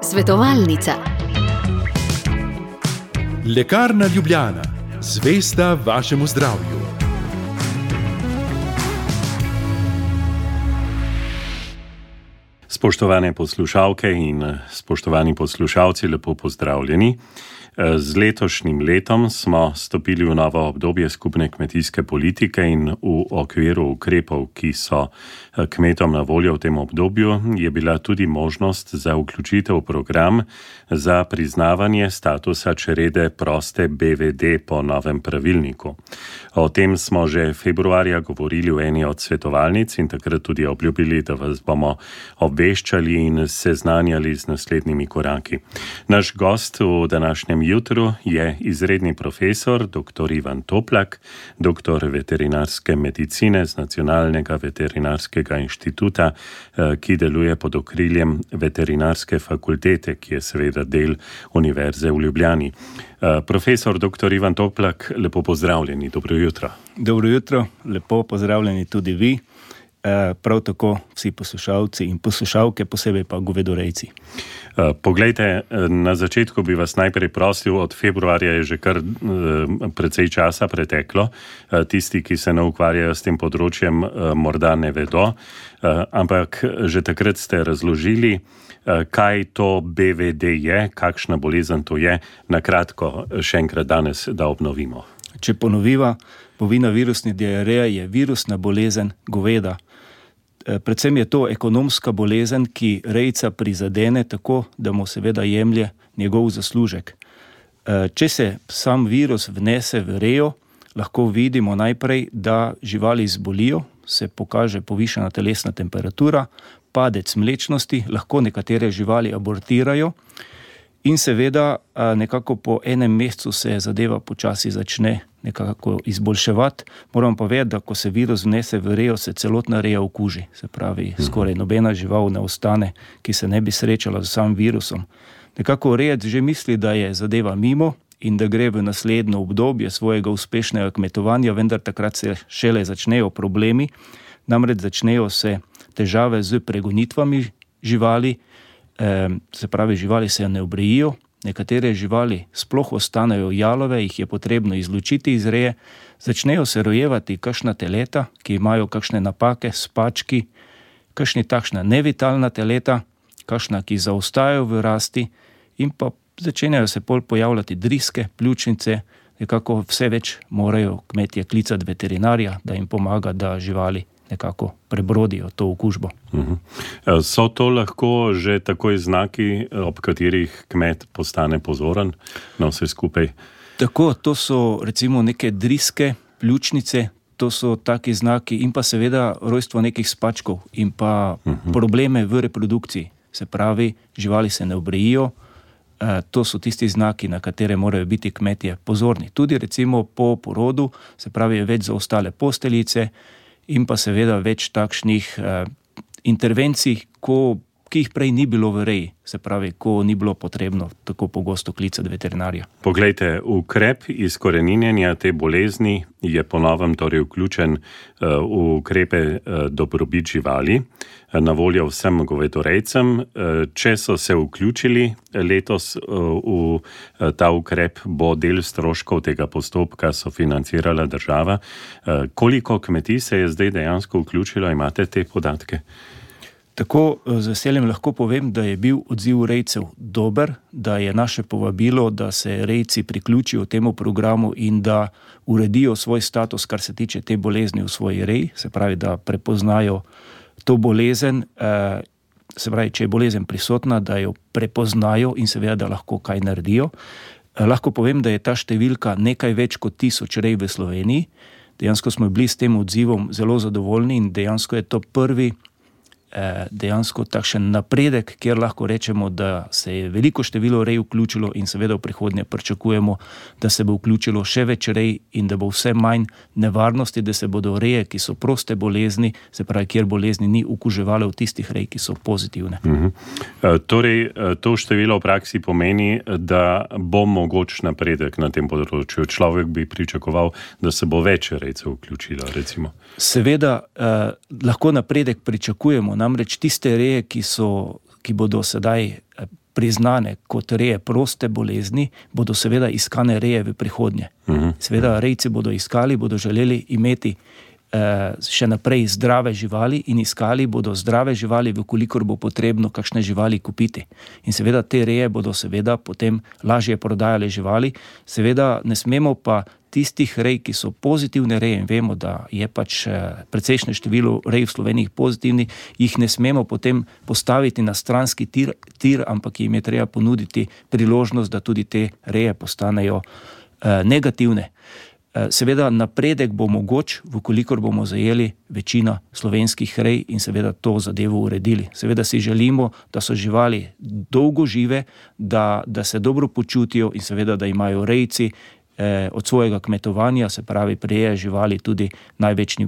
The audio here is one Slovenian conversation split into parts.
Svetovalnica. Lekarna Ljubljana, zvesta vašemu zdravju. Spoštovane poslušalke in spoštovani poslušalci, lepo pozdravljeni. Z letošnjim letom smo stopili v novo obdobje skupne kmetijske politike in v okviru ukrepov, ki so kmetom na voljo v tem obdobju, je bila tudi možnost za vključitev v program za priznavanje statusa črede proste BVD po novem pravilniku. O tem smo že februarja govorili v eni od svetovalnic in takrat tudi obljubili, da vas bomo obveščali in seznanjali z naslednjimi koraki. Naš gost v današnjem jutru je izredni profesor dr. Ivan Toplak, doktor veterinarske medicine z Nacionalnega veterinarskega inštituta, ki deluje pod okriljem veterinarske fakultete, ki je seveda del Univerze v Ljubljani. Profesor dr. Ivan Toplak, lepo pozdravljeni, dobro jutro. Dobro jutro, lepo pozdravljeni tudi vi, prav tako vsi poslušalci in poslušalke, posebej pa govedorejci. Poglejte, na začetku bi vas najprej prosil, od februarja je že kar precej časa preteklo. Tisti, ki se ne ukvarjajo s tem področjem, morda ne vedo, ampak že takrat ste razložili, kaj to BVD je, kakšna bolezen to je. Na kratko še enkrat danes, da obnovimo. Če ponoviva, bovina virusna diareja je virusna bolezen goveda. Predvsem je to ekonomska bolezen, ki rejca prizadene tako, da mu seveda jemlje njegov zaslužek. Če se sam virus vnese v rejo, lahko vidimo najprej, da živali zbolijo, se pokaže povišana telesna temperatura, padec mlečnosti, lahko nekatere živali abortirajo in seveda nekako po enem mesecu se zadeva počasi začne nekako izboljševati. Moram pa vedeti, da ko se virus vnese v rejo, se celotna reja okuži. Se pravi, skoraj nobena žival ne ostane, ki se ne bi srečala z samim virusom. Nekako rejec že misli, da je zadeva mimo in da gre v naslednjo obdobje svojega uspešnega kmetovanja, vendar takrat se šele začnejo problemi, namreč začnejo se težave z pregonitvami živali, se pravi, živali se ne obrejijo, nekatere živali sploh ostanejo jalove, jih je potrebno izločiti iz reje, začnejo se rojevati kakšna teleta, ki imajo kakšne napake, spački, kakšni takšna nevitalna teleta, kakšna, ki zaostajajo v rasti in pa začenjajo se pol pojavljati driske, pljučnice, nekako vse več morajo kmetje klicati veterinarja, da jim pomaga, da živali nekako prebrodijo to okužbo. So to lahko že takoj znaki, ob katerih kmet postane pozoren na vse skupaj? Tako, to so recimo neke driske, pljučnice, to so taki znaki in pa seveda rojstvo nekih spačkov in pa probleme v reprodukciji. Se pravi, živali se ne obrejijo, to so tisti znaki, na katere morajo biti kmetje pozorni. Tudi recimo po porodu, se pravi, več zaostale posteljice, in pa seveda več takšnih intervencij, ki jih prej ni bilo v reji, se pravi, ko ni bilo potrebno tako pogosto klicati veterinarja. Poglejte, ukrep izkoreninjenja te bolezni je po novem torej vključen v ukrepe dobrobit živali, na voljo vsem govedorejcem. Če so se vključili letos v ta ukrep, bo del stroškov tega postopka sofinancirala država. Koliko kmetij se je zdaj dejansko vključilo, imate te podatke? Tako z veseljem lahko povem, da je bil odziv rejcev dober, da je naše povabilo, da se rejci priključijo temu programu in da uredijo svoj status, kar se tiče te bolezni v svoji reji, se pravi, da prepoznajo to bolezen, se pravi, če je bolezen prisotna, da jo prepoznajo in seveda, da lahko kaj naredijo. Lahko povem, da je ta številka nekaj več kot 1000 rej v Sloveniji. Dejansko smo bili s tem odzivom zelo zadovoljni in dejansko je to prvi dejansko takšen napredek, kjer lahko rečemo, da se je veliko število rej vključilo in seveda v prihodnje pričakujemo, da se bo vključilo še več rej in da bo vse manj nevarnosti, da se bodo reje, ki so proste bolezni, se pravi, kjer bolezni ni okuževale v tistih rej, ki so pozitivne. Torej, to število v praksi pomeni, da bo mogoč napredek na tem področju. Človek bi pričakoval, da se bo več rejcev vključilo, recimo. Seveda, lahko napredek pričakujemo, namreč tiste reje, ki bodo sedaj priznane kot reje proste bolezni, bodo seveda iskane reje v prihodnje. Seveda rejci bodo iskali, bodo želeli imeti še naprej zdrave živali in iskali bodo zdrave živali, vkolikor bo potrebno kakšne živali kupiti. In seveda te reje bodo seveda potem lažje prodajale živali. Seveda ne smemo pa tistih rej, ki so pozitivne reje, in vemo, da je pač precejšnje število rej v Sloveniji pozitivni, jih ne smemo potem postaviti na stranski tir, ampak jim je treba ponuditi priložnost, da tudi te reje postanejo negativne. Seveda napredek bo mogoč, vkolikor bomo zajeli večina slovenskih rej in seveda to zadevo uredili. Seveda si želimo, da so živali dolgo žive, da se dobro počutijo in seveda, da imajo rejci od svojega kmetovanja, se pravi prireje živali, tudi največji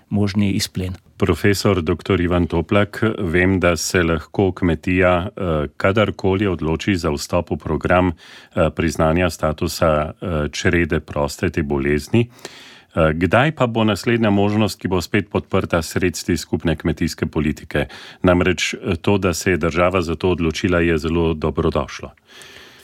možni izplen. Profesor dr. Ivan Toplak, vem, da se lahko kmetija kadarkoli odloči za vstop v program priznanja statusa črede prostete bolezni. Kdaj pa bo naslednja možnost, ki bo spet podprta sredstvi skupne kmetijske politike? Namreč to, da se je država za to odločila, je zelo dobrodošlo.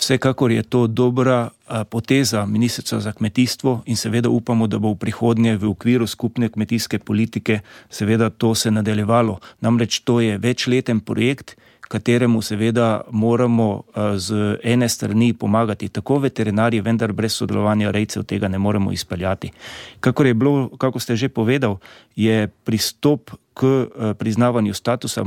Vsekakor je to dobra poteza Ministrstva za kmetijstvo in seveda upamo, da bo v prihodnje v okviru skupne kmetijske politike seveda to se nadaljevalo. Namreč to je večleten projekt, kateremu seveda moramo z ene strani pomagati tako veterinarji, vendar brez sodelovanja rejcev tega ne moremo izpeljati. Kako ste že povedal, je pristop k priznavanju statusa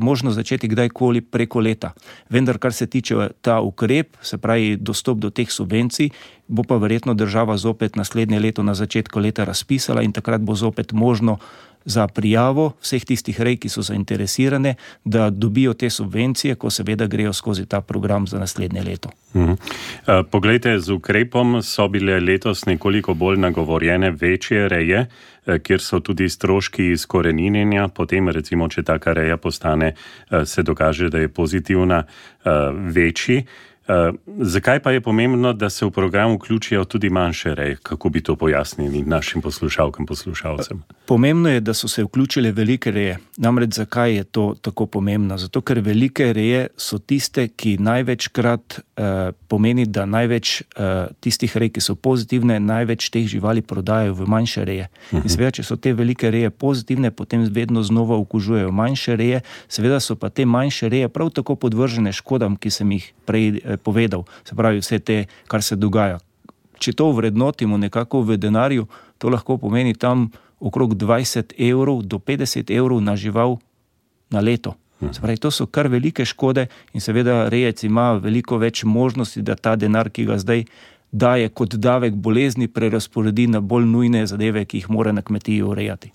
možno začeti kdajkoli preko leta. Vendar, kar se tiče ta ukrep, se pravi dostop do teh subvencij, bo pa verjetno država zopet naslednje leto na začetku leta razpisala in takrat bo zopet možno za prijavo vseh tistih rej, ki so zainteresirane, da dobijo te subvencije, ko seveda grejo skozi ta program za naslednje leto. Poglejte, z ukrepom so bile letos nekoliko bolj nagovorjene večje reje, kjer so tudi stroški izkoreninjenja, potem recimo, če taka reja postane, se dokaže, da je pozitivna, večji. Zakaj pa je pomembno, da se v program vključijo tudi manjše reje? Kako bi to pojasnili našim poslušalcem? Pomembno je, da so se vključile velike reje. Namreč zakaj je to tako pomembno? Zato, ker velike reje so tiste, ki največkrat pomeni, da največ tistih rej, ki so pozitivne, največ teh živali prodajajo v manjše reje. In seveda, če so te velike reje pozitivne, potem vedno znova okužujejo manjše reje. Seveda so pa te manjše reje prav tako podvržene škodam, ki sem jih prej povedal, se pravi vse te, kar se dogaja. Če to vrednotimo nekako v denarju, to lahko pomeni tam okrog 20 € do 50 € na žival na leto. Se pravi, to so kar velike škode in seveda rejec ima veliko več možnosti, da ta denar, ki ga zdaj daje kot davek bolezni, prerazporedi na bolj nujne zadeve, ki jih mora na kmetiji urejati.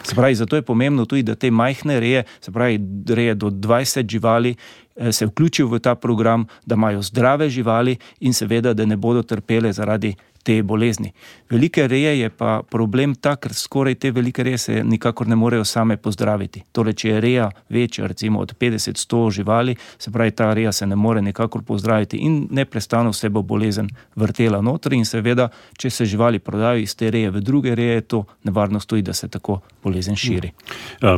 Se pravi, zato je pomembno tudi, da te majhne reje, se pravi reje do 20 živali, se vključijo v ta program, da imajo zdrave živali in seveda, da ne bodo trpele zaradi te bolezni. Velike reje je pa problem tak, ker skoraj te velike reje se nikakor ne morejo same pozdraviti. Torej, če je reja večja, recimo od 50-100 živali, se pravi, ta reja se ne more nikakor pozdraviti in neprestano se bo bolezen vrtela notri in seveda, če se živali prodajo iz te reje v druge reje, je to nevarnost tudi, da se tako bolezen širi.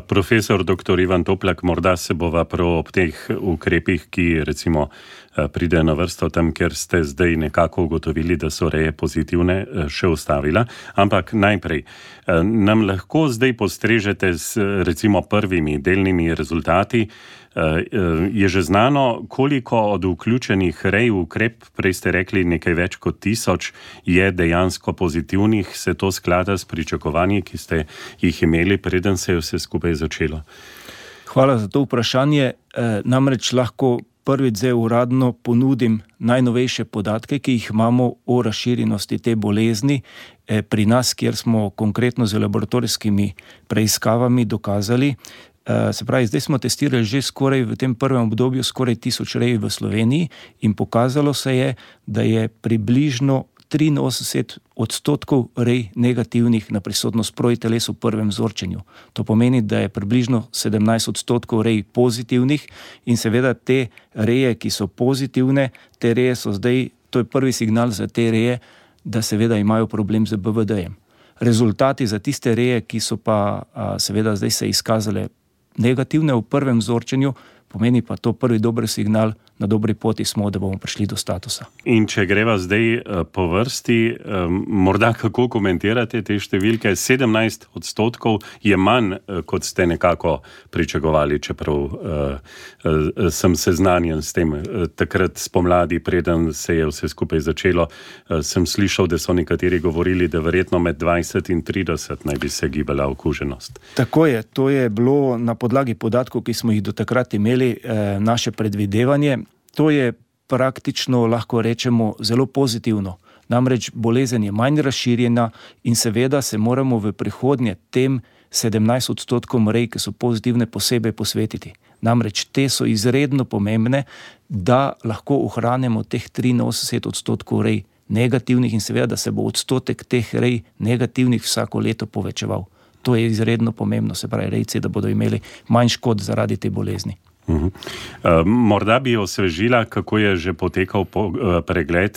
Profesor dr. Ivan Toplak, morda se bova prav ob teh ukrepih, ki recimo pride na vrsto tam, kjer ste zdaj nekako ugotovili, da so reje pozitivne, še ustavila. Ampak najprej, nam lahko zdaj postrežete s recimo prvimi delnimi rezultati. Je že znano, koliko od vključenih rej v ukrep, prej ste rekli nekaj več kot 1000, je dejansko pozitivnih, se to sklada s pričakovanji, ki ste jih imeli, preden se je vse skupaj začelo? Hvala za to vprašanje. Namreč lahko prvič zdaj uradno ponudim najnovejše podatke, ki jih imamo o razširjenosti te bolezni pri nas, kjer smo konkretno z laboratorijskimi preiskavami dokazali. Se pravi, zdaj smo testirali že skoraj v tem prvem obdobju skoraj 1000 rej v Sloveniji in pokazalo se je, da je približno 83% rej negativnih na prisotnost protiteles v prvem vzorčenju. To pomeni, da je približno 17% rej pozitivnih in seveda te reje, ki so pozitivne, te reje so zdaj, to je prvi signal za te reje, da seveda imajo problem z BVD-jem. Rezultati za tiste reje, ki so pa seveda zdaj se izkazale negativne v prvem vzorčenju, pomeni pa to prvi dober signal, na dobri poti smo, da bomo prišli do statusa. In če greva zdaj po vrsti, morda kako komentirate te številke? 17% je manj, kot ste nekako pričakovali, čeprav sem seznanjen s tem. Takrat spomladi, preden se je vse skupaj začelo, sem slišal, da so nekateri govorili, da verjetno med 20 in 30 naj bi se gibala okuženost. Tako je, to je bilo na podlagi podatkov, ki smo jih do takrat imeli, naše predvidevanje. To je praktično, lahko rečemo, zelo pozitivno. Namreč bolezen je manj razširjena in seveda se moramo v prihodnje tem 17% rej, ki so pozitivne, posebej posvetiti. Namreč te so izredno pomembne, da lahko ohranimo teh 83% rej negativnih in seveda, da se bo odstotek teh rej negativnih vsako leto povečeval. To je izredno pomembno, se pravi rejci, da bodo imeli manj škod zaradi te bolezni. Morda bi osvežila, kako je že potekal pregled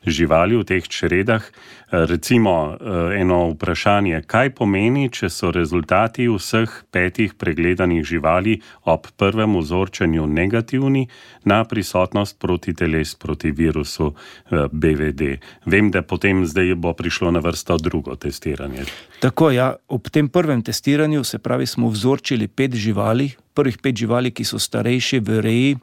živali v teh čredah. Recimo eno vprašanje, kaj pomeni, če so rezultati vseh 5 pregledanih živali ob prvem vzorčenju negativni na prisotnost protiteles proti virusu BVD. Vem, da potem zdaj bo prišlo na vrsto drugo testiranje. Tako, ja, ob tem prvem testiranju, se pravi, smo vzorčili 5 živali, prvih 5 živali, ki so starejši v reji,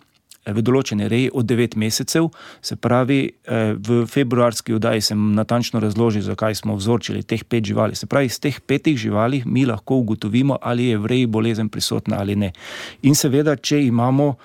v določene reji od 9 mesecev, se pravi, v februarski oddaji sem natančno razložil, zakaj smo vzorčili teh 5 živali. Se pravi, iz teh 5 živali mi lahko ugotovimo, ali je v reji bolezen prisotna ali ne. In seveda, če imamo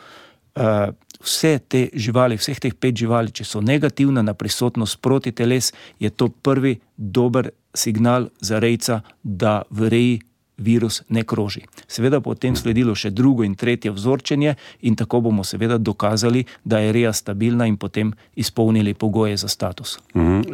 vse te živali, vseh teh 5 živali, če so negativne na prisotnost protiteles, je to prvi dober signal za rejca, da v reji virus ne kroži. Seveda potem sledilo še drugo in tretje vzorčenje in tako bomo seveda dokazali, da je reja stabilna in potem izpolnili pogoje za status.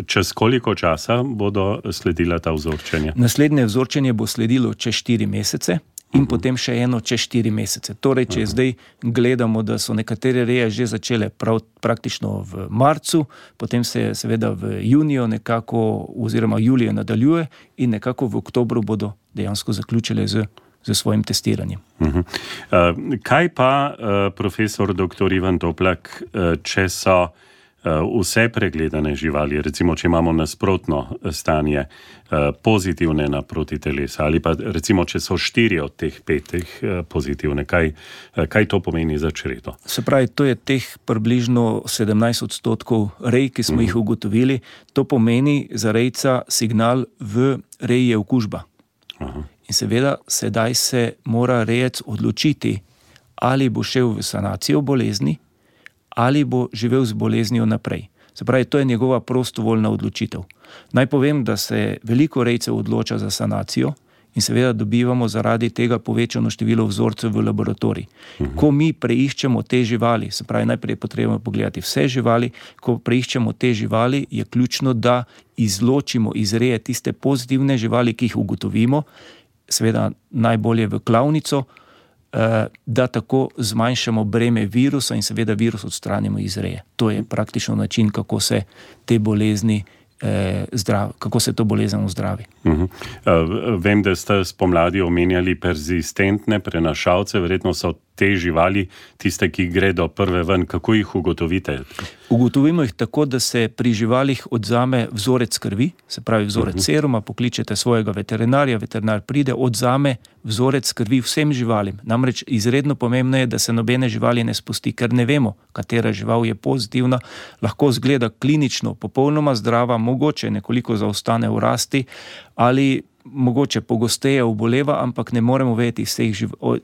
Čez koliko časa bodo sledila ta vzorčenja? Naslednje vzorčenje bo sledilo čez 4 mesece in potem še eno čez 4 mesece. Torej, če zdaj gledamo, da so nekatere reje že začele praktično v marcu, potem se seveda v juniju nekako oziroma juliju nadaljuje in nekako v oktobru bodo dejansko zaključile z svojim testiranjem. Kaj pa, profesor dr. Ivan Toplak, če so vse pregledane živali, recimo, če imamo nasprotno stanje, pozitivne na protitelesa, ali pa recimo, če so 4 od teh 5 pozitivne, kaj to pomeni za čredo? Se pravi, to je teh približno 17% rej, ki smo jih ugotovili. To pomeni za rejca signal, v reji je okužba. In seveda, sedaj se mora rejec odločiti, ali bo šel v sanacijo bolezni, ali bo živel z boleznijo naprej. Se pravi, to je njegova prostovoljna odločitev. Naj povem, da se veliko rejcev odloča za sanacijo in seveda dobivamo zaradi tega povečano število vzorcev v laboratorij. Ko mi preiščemo te živali, se pravi, najprej je potrebno pogledati vse živali, ko preiščemo te živali, je ključno, da izločimo iz reje tiste pozitivne živali, ki jih ugotovimo, seveda najbolje v klavnico, da tako zmanjšamo breme virusa in seveda virus odstranimo iz reje. To je praktično način, kako se te bolezni kako se to bolezen ozdravi. Vem, da ste spomladi omenjali persistentne prenašalce, verjetno so te živali tiste, ki gredo prve ven. Kako jih ugotovite? Ugotovimo jih tako, da se pri živalih odzame vzorec krvi, se pravi vzorec seruma, pokličete svojega veterinarja, veterinar pride, odzame vzorec krvi vsem živalim. Namreč izredno pomembno je, da se nobene živali ne spusti, ker ne vemo, katera žival je pozitivna, lahko zgleda klinično popolnoma zdrava, mogoče nekoliko zaostane v rasti ali mogoče pogosteje oboleva, ampak ne moremo vedeti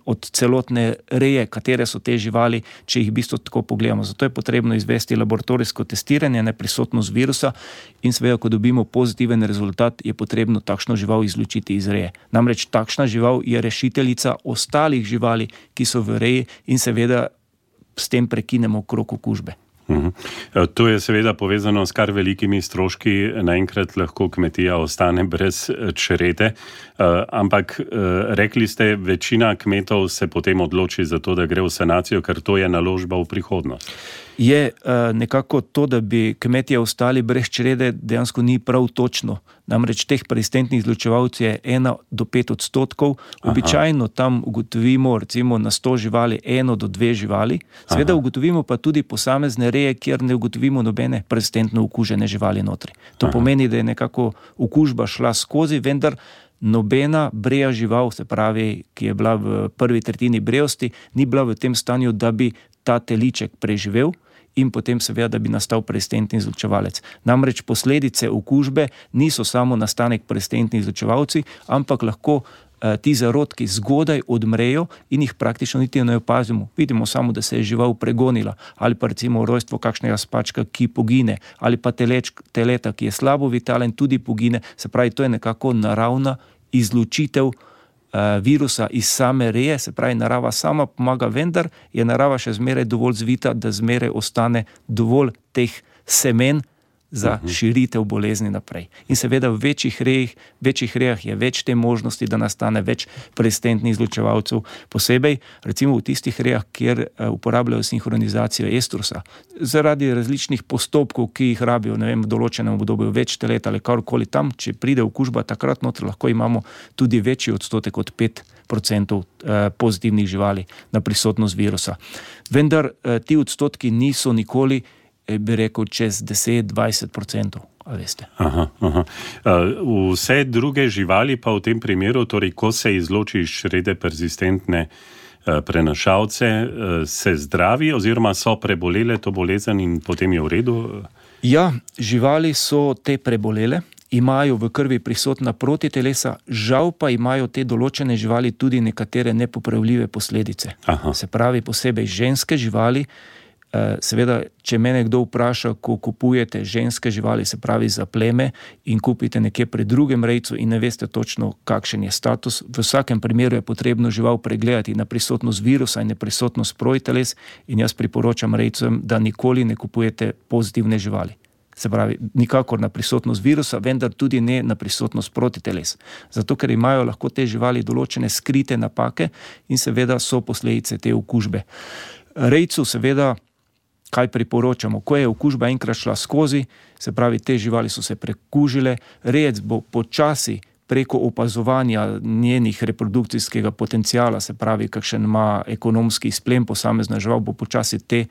od celotne reje, katere so te živali, če jih v bistvu tako pogledamo. Zato je potrebno izvesti laboratorijsko testiranje na prisotnost virusa in seveda, ko dobimo pozitiven rezultat, je potrebno takšno žival izločiti iz reje. Namreč takšna žival je rešiteljica ostalih živali, ki so v reji in seveda s tem prekinemo krog okužbe. To je seveda povezano s kar velikimi stroški, naenkrat lahko kmetija ostane brez črede, ampak rekli ste, večina kmetov se potem odloči za to, da gre v sanacijo, ker to je naložba v prihodnost. je nekako to, da bi kmetje ostali brez črede, dejansko ni prav točno. Namreč teh persistentnih izločevalcev je 1 do 5%. Običajno tam ugotovimo recimo na 100 živali 1 do 2 živali. Seveda ugotovimo pa tudi posamezne reje, kjer ne ugotovimo nobene persistentno okužene živali notri. To pomeni, da je nekako okužba šla skozi, vendar nobena breja žival, se pravi, ki je bila v prvi tretjini brejosti, ni bila v tem stanju, da bi ta teliček preživel in potem seveda, da bi nastal persistentni izločevalec. Namreč posledice okužbe niso samo nastanek persistentnih izločevalcev, ampak lahko ti zarodki zgodaj odmrejo in jih praktično niti ne opazimo. Vidimo samo, da se je žival pregonila, ali pa recimo rojstvo kakšnega spačka, ki pogine, ali pa teleta, ki je slabo vitalen, tudi pogine. Se pravi, to je nekako naravna izločitev virusa iz same reje, se pravi, narava sama pomaga, vendar je narava še zmeraj dovolj zvita, da zmeraj ostane dovolj teh semen za širitev bolezni naprej. In seveda v večjih rejah je več te možnosti, da nastane več persistentnih izločevalcev, posebej recimo v tistih rejah, kjer uporabljajo sinhronizacijo estrusa. Zaradi različnih postopkov, ki jih rabijo, v določenem obdobju več telet ali karkoli tam, če pride okužba, takrat notri lahko imamo tudi večji odstotek od 5% pozitivnih živali na prisotnost virusa. Vendar ti odstotki niso nikoli, bi rekel, čez 10-20%, a veste. Vse druge živali pa v tem primeru, torej ko se izloči iz črede persistentne prenašalce, se zdravi oziroma so prebolele to bolezen in potem je v redu? Ja, živali so te prebolele, imajo v krvi prisotna protitelesa, žal pa imajo te določene živali tudi nekatere nepopravljive posledice. Se pravi, posebej ženske živali. Seveda, če mene kdo vpraša, ko kupujete ženske živali, se pravi za pleme, in kupite nekje pri drugem rejcu in ne veste točno, kakšen je status, v vsakem primeru je potrebno žival pregledati na prisotnost virusa in na prisotnost protiteles, in jaz priporočam rejcem, da nikoli ne kupujete pozitivne živali. Se pravi, nikakor na prisotnost virusa, vendar tudi ne na prisotnost protiteles. Zato, ker imajo lahko te živali določene skrite napake in seveda so posledice te okužbe. Rejcu seveda, kaj priporočamo? Ko je okužba enkrat šla skozi, se pravi, te živali so se prekužile, rejec bo počasi preko opazovanja njenih reprodukcijskega potencijala, se pravi, kakšen ima ekonomski izplen posamezna žival, bo počasi te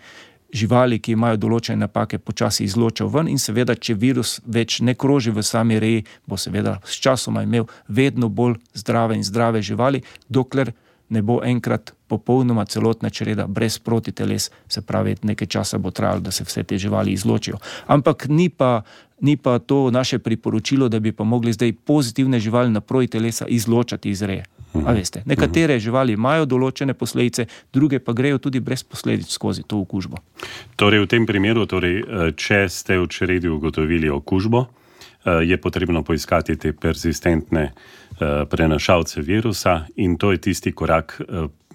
živali, ki imajo določene napake, počasi izločal ven in seveda, če virus več ne kroži v sami reji, bo seveda s časoma imel vedno bolj zdrave in zdrave živali, dokler ne bo enkrat popolnoma celotna čreda brez protiteles, se pravi, nekaj časa bo trajalo, da se vse te živali izločijo. Ampak ni pa to naše priporočilo, da bi pa mogli zdaj pozitivne živali na protitelesa izločati iz reje. A veste, nekatere živali imajo določene posledice, druge pa grejo tudi brez posledic skozi to okužbo. Torej, v tem primeru, če ste v čredi ugotovili okužbo, je potrebno poiskati te persistentne prenašalce virusa in to je tisti korak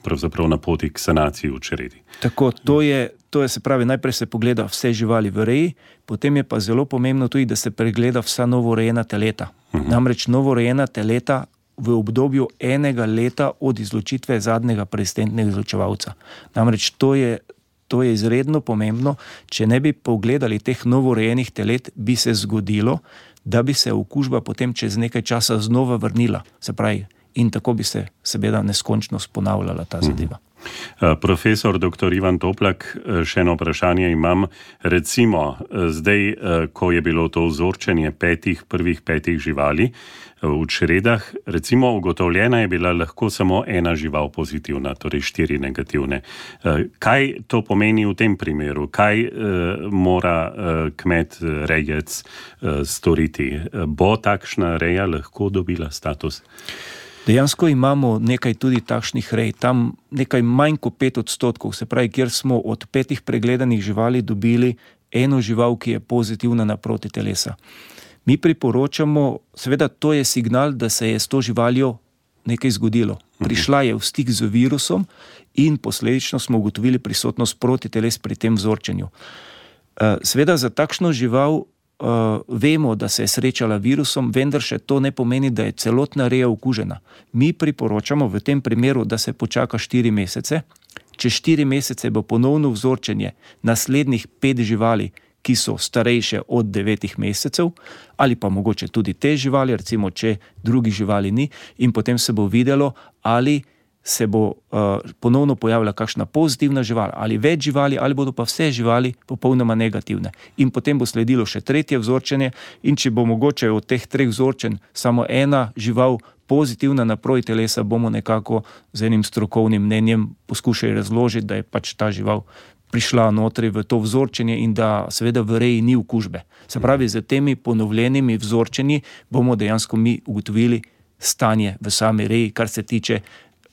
pravzaprav na poti k sanaciji v čredi. Tako, to je, se pravi, najprej se pogleda vse živali v reji, potem je pa zelo pomembno tudi, da se pregleda vsa novorejena teleta. Namreč novorejena teleta v obdobju 1 leta od izločitve zadnjega persistentnega izločevalca. Namreč to je izredno pomembno. Če ne bi pogledali teh novorejenih telet, bi se zgodilo, da bi se okužba potem čez nekaj časa znova vrnila. Se pravi, in tako bi se seveda neskončno ponavljala ta zadeva. Profesor dr. Ivan Toplak, še eno vprašanje imam. Recimo, zdaj, ko je bilo to vzorčenje prvih 5 živali v čredah, recimo ugotovljena je bila lahko samo 1 žival pozitivna, torej 4 negativne. Kaj to pomeni v tem primeru? Kaj mora kmet, rejec storiti? Bo takšna reja lahko dobila status? Dejansko imamo nekaj tudi takšnih rej, tam nekaj manj kot 5%, se pravi, kjer smo od 5 pregledanih živali dobili 1 žival, ki je pozitivna na protitelesa. Mi priporočamo, seveda to je signal, da se je s to živaljo nekaj zgodilo. Prišla je v stik z virusom in posledično smo ugotovili prisotnost protiteles pri tem vzorčenju. Seveda za takšno žival vemo, da se je srečala virusom, vendar še to ne pomeni, da je celotna reja okužena. Mi priporočamo v tem primeru, da se počaka 4 mesece, čez 4 mesece bo ponovno vzorčenje naslednjih 5 živali, ki so starejše od 9 mesecev, ali pa mogoče tudi te živali, recimo, če drugih živali ni, in potem se bo videlo, ali se bo ponovno pojavila kakšna pozitivna žival, ali več živali, ali bodo pa vse živali popolnoma negativne. In potem bo sledilo še tretje vzorčenje, in če bo mogoče od teh 3 vzorčenj samo ena žival pozitivna na proti telesa, bomo nekako z enim strokovnim mnenjem poskušali razložiti, da je pač ta žival prišla notri v to vzorčenje in da seveda v reji ni okužbe. Se pravi, z temi ponovljenimi vzorčenji bomo dejansko mi ugotovili stanje v sami reji, kar se tiče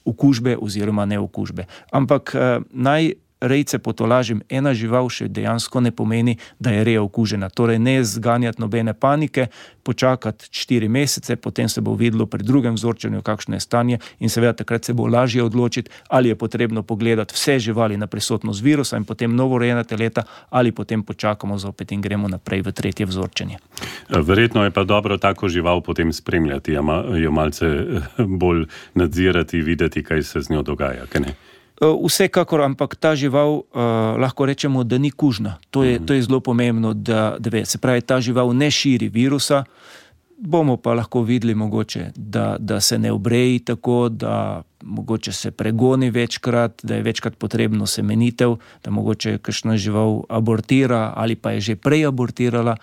okužbe oziroma neokužbe. Ampak naj rejce potolažim, ena žival še dejansko ne pomeni, da je reja okužena. Torej ne zganjati nobene panike, počakati 4 mesece, potem se bo videlo pri drugem vzorčenju, kakšno je stanje, in seveda takrat se bo lažje odločiti, ali je potrebno pogledati vse živali na prisotnost virusa in potem novorojena teleta, ali potem počakamo zopet in gremo naprej v tretje vzorčenje. Verjetno je pa dobro tako žival potem spremljati, jo malce bolj nadzirati, videti, kaj se z njo dogaja, kaj ne? Vsekakor, ampak ta žival lahko rečemo, da ni kužna. To je zelo pomembno, da ve. Se pravi, ta žival ne širi virusa, bomo pa lahko videli mogoče, da se ne obreji tako, da mogoče se pregoni večkrat, da je večkrat potrebno semenitev, da mogoče kakšna žival abortira ali pa je že prej abortirala.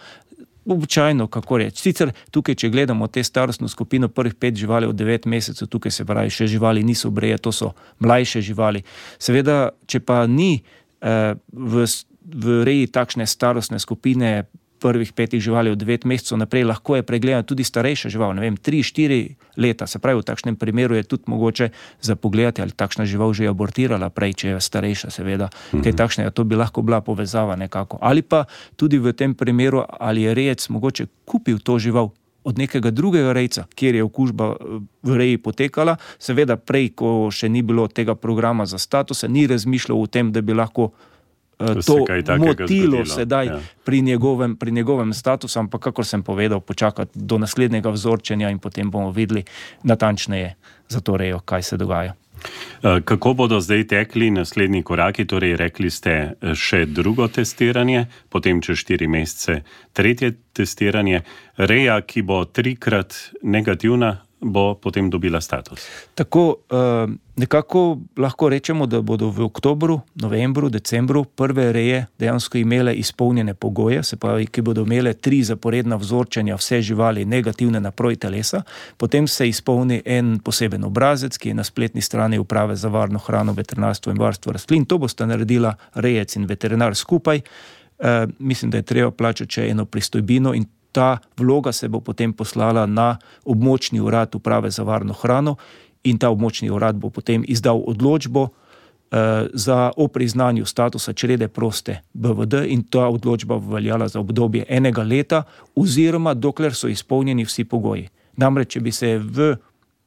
Običajno, kako reči. Sicer tukaj, če gledamo te starostno skupino prvih 5 živali od 9 mesecev, tukaj se pravi, še živali niso breje, to so mlajše živali. Seveda, če pa ni v reji takšne starostne skupine prvih 5 živali od 9 mesecev naprej, lahko je pregledana tudi starejša žival, 3-4 leta. Se pravi, v takšnem primeru je tudi mogoče zapogledati, ali takšna žival že je abortirala prej, če je starejša, seveda. Kaj takšnega, to bi lahko bila povezava nekako. Ali pa tudi v tem primeru, ali je rejec mogoče kupil to žival od nekega drugega rejca, kjer je okužba v reji potekala. Seveda prej, ko še ni bilo tega programa za status, ni razmišljal o tem, da bi lahko to motilo sedaj pri njegovem statusu, ampak kakor sem povedal, počakati do naslednjega vzorčenja in potem bomo videli natančneje za to rejo, kaj se dogaja. Kako bodo zdaj tekli naslednji koraki? Torej, rekli ste še drugo testiranje, potem čez 4 mesece tretje testiranje. Reja, ki bo 3-krat negativna, bo potem dobila status. Tako, nekako lahko rečemo, da bodo v oktobru, novembru, decembru prve reje dejansko imele izpolnjene pogoje, se pravi, ki bodo imele 3 zaporedna vzorčenja vse živali negativne na proti telesa, potem se izpolni en poseben obrazec, ki je na spletni strani Uprave za varno hrano, veterinarstvo in varstvo rastlin. To bosta naredila rejec in veterinar skupaj. Mislim, da je treba plačati še eno pristojbino in ta vloga se bo potem poslala na območni urad Uprave za varno hrano in ta območni urad bo potem izdal odločbo o priznanju statusa črede proste BVD in ta odločba bo veljala za obdobje 1 leta oziroma dokler so izpolnjeni vsi pogoji. Namreč, če bi se v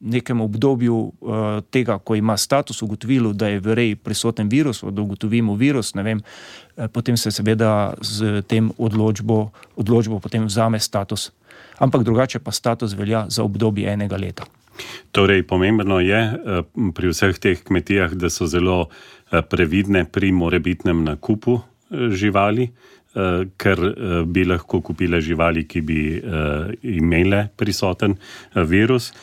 nekem obdobju tega, ko ima status, ugotovilo, da je v reji prisoten virus, da ugotovimo virus, potem se seveda z tem odločbo potem vzame status. Ampak drugače pa status velja za obdobje 1 leta. Torej, pomembno je pri vseh teh kmetijah, da so zelo previdne pri morebitnem nakupu živali, ker bi lahko kupile živali, ki bi imele prisoten virus.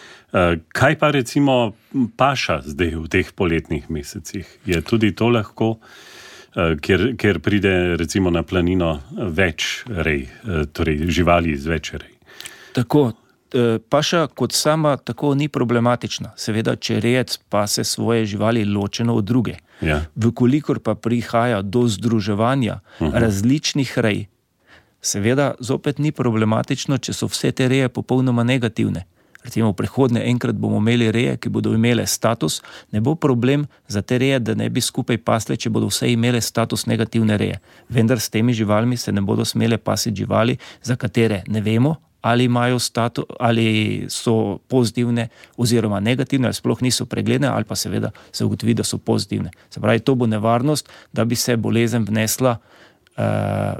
Kaj pa recimo paša zdaj v teh poletnih mesecih? Je tudi to lahko, ker pride recimo na planino več rej, torej živali iz več rej? Tako, paša kot sama tako ni problematična. Seveda, če rejec pase svoje živali ločeno od druge. Ja. Vkolikor pa prihaja do združevanja različnih rej, seveda zopet ni problematično, če so vse te reje popolnoma negativne. Recimo v prihodnje enkrat bomo imeli reje, ki bodo imele status, ne bo problem za te reje, da ne bi skupaj pasle, če bodo vse imele status negativne reje. Vendar s temi živalmi se ne bodo smele pasiti živali, za katere ne vemo, ali imajo status, ali so pozitivne oziroma negativne, ali sploh niso pregledne, ali pa seveda se ugotovi, da so pozitivne. Se pravi, to bo nevarnost, da bi se bolezen vnesla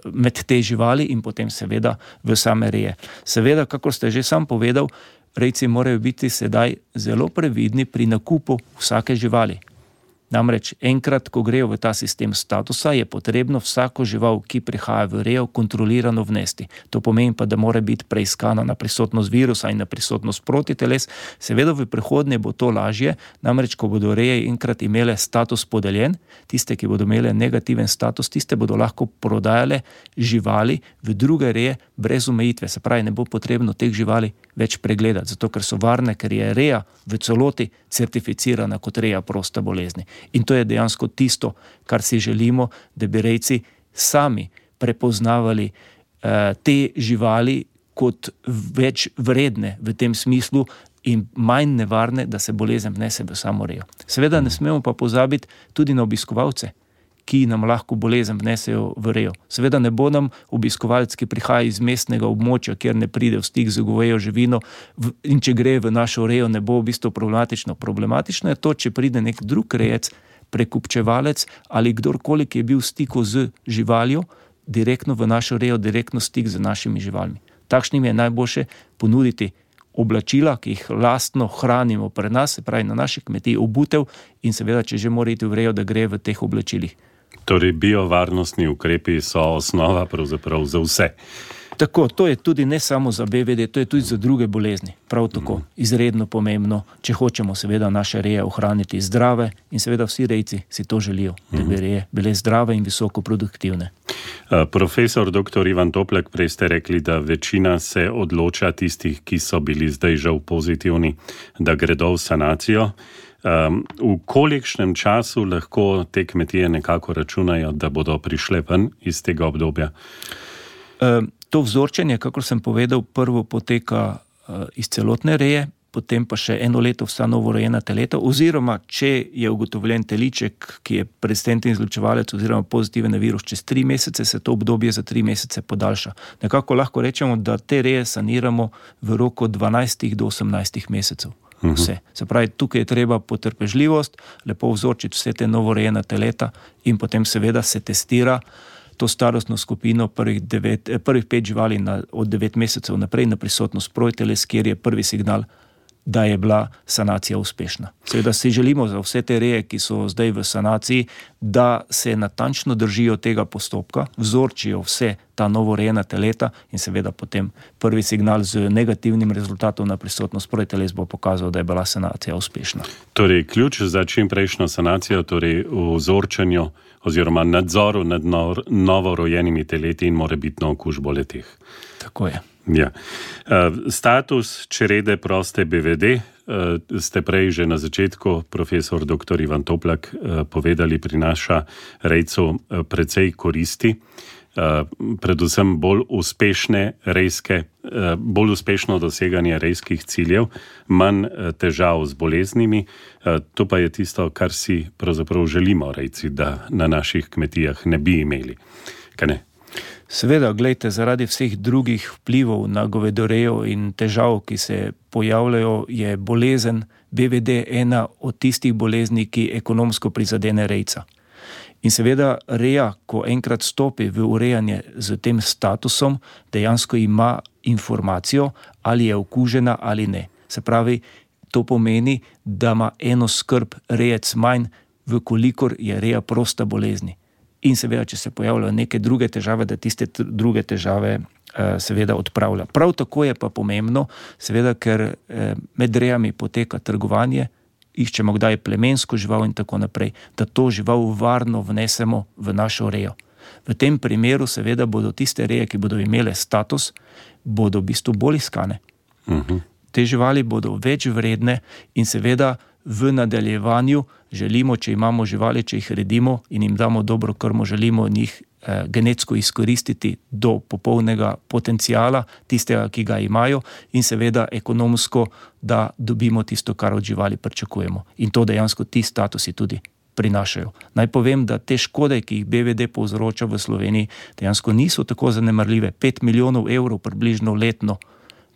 med te živali in potem seveda v same reje. Seveda, kako ste že sam povedal, rejci morajo biti sedaj zelo previdni pri nakupu vsake živali. Namreč enkrat, ko grejo v ta sistem statusa, je potrebno vsako žival, ki prihaja v rejo, kontrolirano vnesti. To pomeni pa, da mora biti preiskana na prisotnost virusa in na prisotnost protiteles. Seveda v prihodnje bo to lažje, namreč ko bodo reje enkrat imele status podeljen, tiste, ki bodo imele negativen status, tiste bodo lahko prodajale živali v druge reje brez omejitve. Se pravi, ne bo potrebno teh živali več pregledati, zato ker so varne, ker je reja v celoti certificirana kot reja prosta bolezni. In to je dejansko tisto, kar si želimo, da bi rejci sami prepoznavali te živali kot več vredne v tem smislu in manj nevarne, da se bolezen vnese v samo rejo. Seveda ne smemo pa pozabiti tudi na obiskovalce, ki nam lahko bolezen vnesejo v rejo. Seveda ne bo nam obiskovalec, ki prihaja iz mestnega območja, kjer ne pride v stik z govejo živino in če gre v našo rejo, ne bo v bistvu problematično. Problematično je to, če pride nek drug rejec, prekupčevalec ali kdorkoli, ki je bil v stiku z živaljo, direktno v našo rejo, direktno stik z našimi živalmi. Takšnim je najboljše ponuditi oblačila, ki jih lastno hranimo pri nas, se pravi na naši kmetiji, obutev in seveda, če že mora iti v rejo, da gre v teh oblačilih. Torej, biovarnostni ukrepi so osnova pravzaprav za vse. Tako, to je tudi ne samo za BVD, to je tudi za druge bolezni. Prav tako, izredno pomembno, če hočemo seveda naše reje ohraniti zdrave in seveda vsi rejci si to želijo, da bi reje bile zdrave in visoko produktivne. Profesor dr. Ivan Toplak, prej ste rekli, da večina se odloča tistih, ki so bili zdaj žal pozitivni, da gredo v sanacijo. V kolikšnem času lahko te kmetije nekako računajo, da bodo prišle ven iz tega obdobja? To vzorčenje, kakor sem povedal, prvo poteka iz celotne reje, potem pa še 1 leto vsa novorojena teleta, oziroma če je ugotovljen teliček, ki je rezistenten izločevalec oziroma pozitiven na virus, čez 3 mesece se to obdobje za 3 mesece podaljša. Nekako lahko rečemo, da te reje saniramo v roku 12 do 18 mesecev. Vse. Se pravi, tukaj je treba potrpežljivost, lepo vzorčiti vse te novorojena teleta in potem seveda se testira to starostno skupino prvih 5 živali od 9 mesecev naprej na prisotnost protiteles, kjer je prvi signal, da je bila sanacija uspešna. Seveda si želimo za vse te reje, ki so zdaj v sanaciji, da se natančno držijo tega postopka, vzorčijo vse ta novorejena teleta in seveda potem prvi signal z negativnim rezultatom na prisotnost protiteles bo pokazal, da je bila sanacija uspešna. Torej, ključ za čimprejšnjo sanacijo, torej v vzorčenju oziroma nadzoru nad novorojenimi teleti in morebitno okužbo le-teh. Tako je. Ja. Status črede proste BVD ste prej že na začetku, profesor dr. Ivan Toplak, povedali, prinaša rejcu precej koristi, predvsem bolj uspešno doseganje rejskih ciljev, manj težav z boleznimi. To pa je tisto, kar si pravzaprav želimo rejci, da na naših kmetijah ne bi imeli. Kaj ne? Seveda, gledajte, zaradi vseh drugih vplivov na govedorejo in težav, ki se pojavljajo, je bolezen BVD ena od tistih bolezni, ki ekonomsko prizadene rejca. In seveda reja, ko enkrat stopi v urejanje z tem statusom, dejansko ima informacijo, ali je okužena ali ne. Se pravi, to pomeni, da ima eno skrb rejec manj, vkolikor je reja prosta bolezni. In seveda, če se pojavljajo neke druge težave, da tiste druge težave seveda odpravlja. Prav tako je pa pomembno, seveda, ker med rejami poteka trgovanje, iščemo kdaj plemensko žival in tako naprej, da to žival varno vnesemo v našo rejo. V tem primeru seveda bodo tiste reje, ki bodo imele status, bodo v bistvu bolj iskane. Te živali bodo več vredne in seveda v nadaljevanju želimo, če imamo živali, če jih redimo in jim damo dobro krmo, želimo njih genetsko izkoristiti do popolnega potencijala, tistega, ki ga imajo, in seveda ekonomsko, da dobimo tisto, kar od živali pričakujemo. In to dejansko ti statusi tudi prinašajo. Naj povem, da te škode, ki jih BVD povzroča v Sloveniji, dejansko niso tako zanemarljive. 5 milijonov evrov približno letno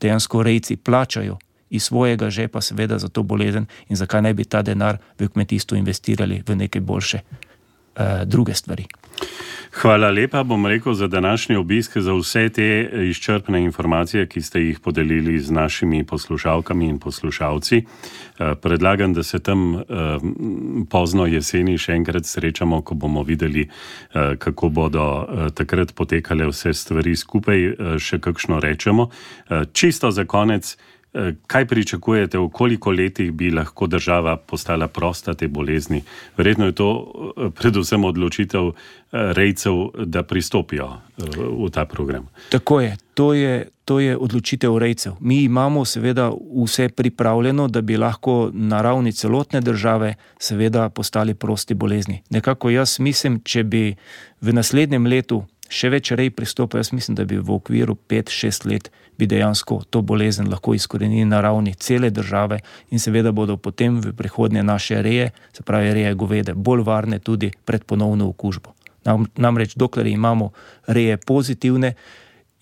dejansko rejci plačajo iz svojega žepa seveda za to bolezen in zakaj ne bi ta denar v kmetijstvu investirali v neke boljše druge stvari. Hvala lepa, bom rekel, za današnji obisk, za vse te izčrpne informacije, ki ste jih podelili z našimi poslušalkami in poslušalci. Predlagam, da se tam pozno jeseni še enkrat srečamo, ko bomo videli, kako bodo takrat potekale vse stvari skupaj, še kakšno rečemo. Čisto za konec, kaj pričakujete, v koliko letih bi lahko država postala prosta te bolezni? Verjetno je to predvsem odločitev rejcev, da pristopijo v ta program. Tako je. To je odločitev rejcev. Mi imamo seveda vse pripravljeno, da bi lahko na ravni celotne države seveda postali prosti bolezni. Nekako jaz mislim, če bi v naslednjem letu še več rej pristopil, jaz mislim, da bi v okviru 5-6 let bi dejansko to bolezen lahko izkorenili na ravni cele države in seveda bodo potem v prihodnje naše reje, se pravi reje govede, bolj varne tudi pred ponovno okužbo. Namreč dokler imamo reje pozitivne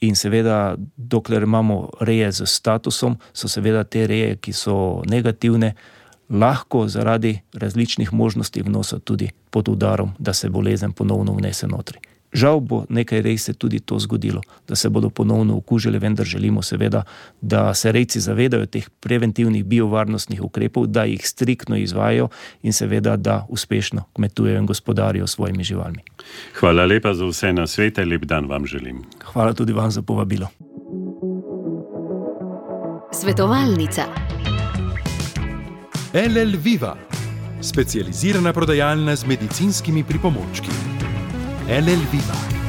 in seveda dokler imamo reje z statusom, so seveda te reje, ki so negativne, lahko zaradi različnih možnosti vnosa tudi pod udarom, da se bolezen ponovno vnese notri. Žal bo nekaj rej se tudi to zgodilo, da se bodo ponovno okužili, vendar želimo seveda, da se rejci zavedajo teh preventivnih biovarnostnih ukrepov, da jih striktno izvajajo in seveda, da uspešno kmetujejo in gospodarijo svojimi živalmi. Hvala lepa za vse nasvete, lep dan vam želim. Hvala tudi vam za povabilo. Svetovalnica. LL Viva, specializirana prodajalna z medicinskimi pripomočki. LL Viva.